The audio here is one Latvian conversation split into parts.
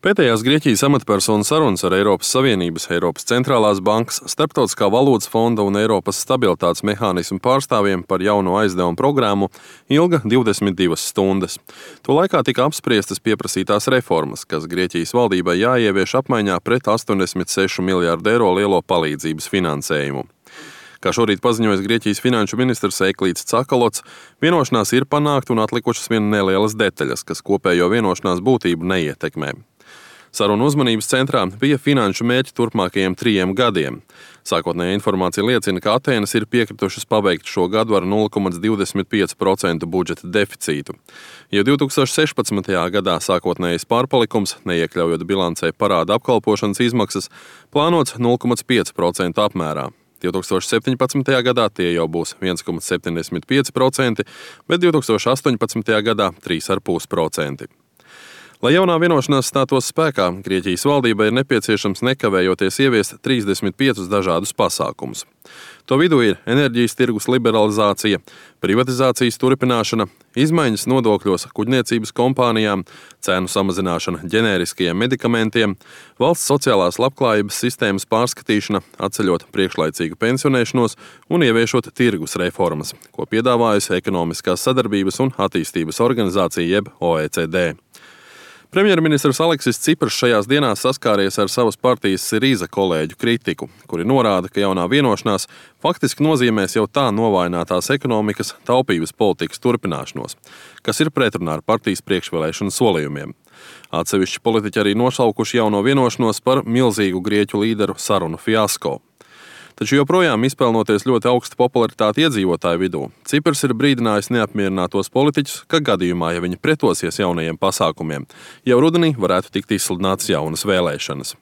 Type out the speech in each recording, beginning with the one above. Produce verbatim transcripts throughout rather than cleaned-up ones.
Pēdējās Grieķijas amatpersonu sarunas ar Eiropas Savienības, Eiropas centrālās bankas, Starptautiskā valūtas fonda un Eiropas stabilitātes mehānismu pārstāvjiem par jauno aizdevumu programmu ilga divdesmit divas stundas. To laikā tika apspriestas pieprasītās reformas, kas Grieķijas valdībai jāievieš apmaiņā pret astoņdesmit sešu miljārdu eiro lielo palīdzības finansējumu. Kā šorīt paziņojas Grieķijas finanšu ministrs Eiklīds Cakalots, vienošanās ir panākta un atlikušas vien nelielas detaļas, kas kopējo vienošanās būtību neietekmē. Sarunu uzmanības centrā bija finanšu mērķi turpmākajiem trijiem gadiem. Sākotnējā informācija liecina, ka Atēnas ir piekritušas pabeigt šo gadu ar nulle komats divdesmit pieci procenti budžeta deficītu. Jau divi tūkstoši sešpadsmitajā gadā sākotnējais pārpalikums, neiekļaujot bilancē parāda apkalpošanas izmaksas, plānots nulle komats pieci procenti apmērā. divi tūkstoši septiņpadsmitajā gadā tie jau būs viens komats septiņdesmit pieci procenti, bet divi tūkstoši astoņpadsmitajā gadā trīs komats pieci procenti. Lai jaunā vienošanās stātos spēkā, Grieķijas valdībai ir nepieciešams nekavējoties ieviest trīsdesmit piecus dažādus pasākumus. To vidū ir enerģijas tirgus liberalizācija, privatizācijas turpināšana, izmaiņas nodokļos kuģniecības kompānijām, cēnu samazināšana ģenēriskajiem medikamentiem, valsts sociālās labklājības sistēmas pārskatīšana, atceļot priekšlaicīgu pensionēšanos un ieviešot tirgus reformas, ko piedāvājusi Ekonomiskās sadarbības un attīstības organizācija jeb O E C D. Premjerministrs Aleksis Cipras šajās dienās saskāries ar savas partijas Sirīza kolēģu kritiku, kuri norāda, ka jaunā vienošanās faktiski nozīmēs jau tā novājinātās ekonomikas taupības politikas turpināšanos, kas ir pretrunā ar partijas priekšvēlēšanu solījumiem. Atsevišķi politiķi arī nosaukuši jauno vienošanos par milzīgu grieķu līderu sarunu fiasko. Taču joprojām izpelnoties ļoti augstu popularitāti iedzīvotāju vidū, Ciprs ir brīdinājis neapmierinātos politiķus, ka gadījumā, ja viņi pretosies jaunajiem pasākumiem, jau rudenī varētu tikt izsludinātas jaunas vēlēšanas.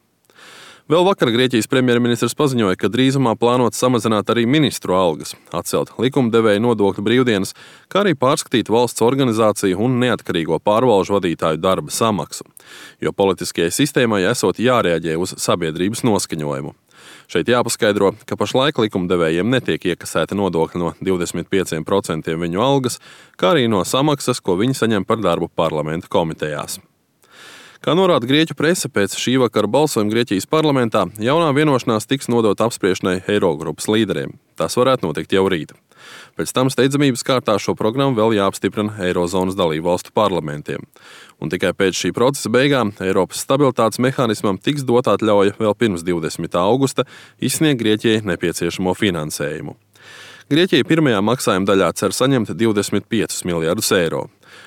Vēl vakar Grieķijas premjerministrs paziņoja, ka drīzumā plānots samazināt arī ministru algas, atcelt likumdevēju nodokļu brīvdienas, kā arī pārskatīt valsts organizāciju un neatkarīgo pārvalžu vadītāju darba samaksu, jo politiskajai sistēmai esot jārēģē uz sabiedrības noskaņojumu. Šeit jāpaskaidro, ka pašlaik likumdevējiem netiek iekasēta nodokļa no divdesmit pieciem procentiem viņu algas, kā arī no samaksas, ko viņi saņem par darbu parlamenta komitejās. Kā norāda Grieķu prese, pēc šī vakara balsojuma Grieķijas parlamentā jaunā vienošanās tiks nodota apspriešanai Eirogrupas līderiem. Tas varētu notikt jau rīt. Pēc tam steidzamības kārtā šo programmu vēl jāapstiprina Eirozonas dalībvalstu parlamentiem. Un tikai pēc šī procesa beigām Eiropas stabilitātes mehānismam tiks dot atļauja vēl pirms divdesmitā augusta izsniegt Grieķijai nepieciešamo finansējumu. Grieķija pirmajā maksājuma daļā cer saņemt divdesmit piecus miljardus eiro.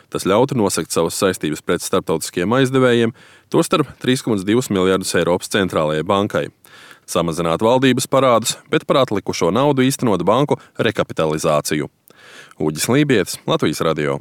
Tas ļautu nosegt savas saistības pret starptautiskiem aizdevējiem, tostarp trīs komats divus miljardus Eiropas centrālajai bankai. Samazināt valdības parādus, bet par atlikušo naudu īstenot banku rekapitalizāciju. Uģis Lībietis, Latvijas radio.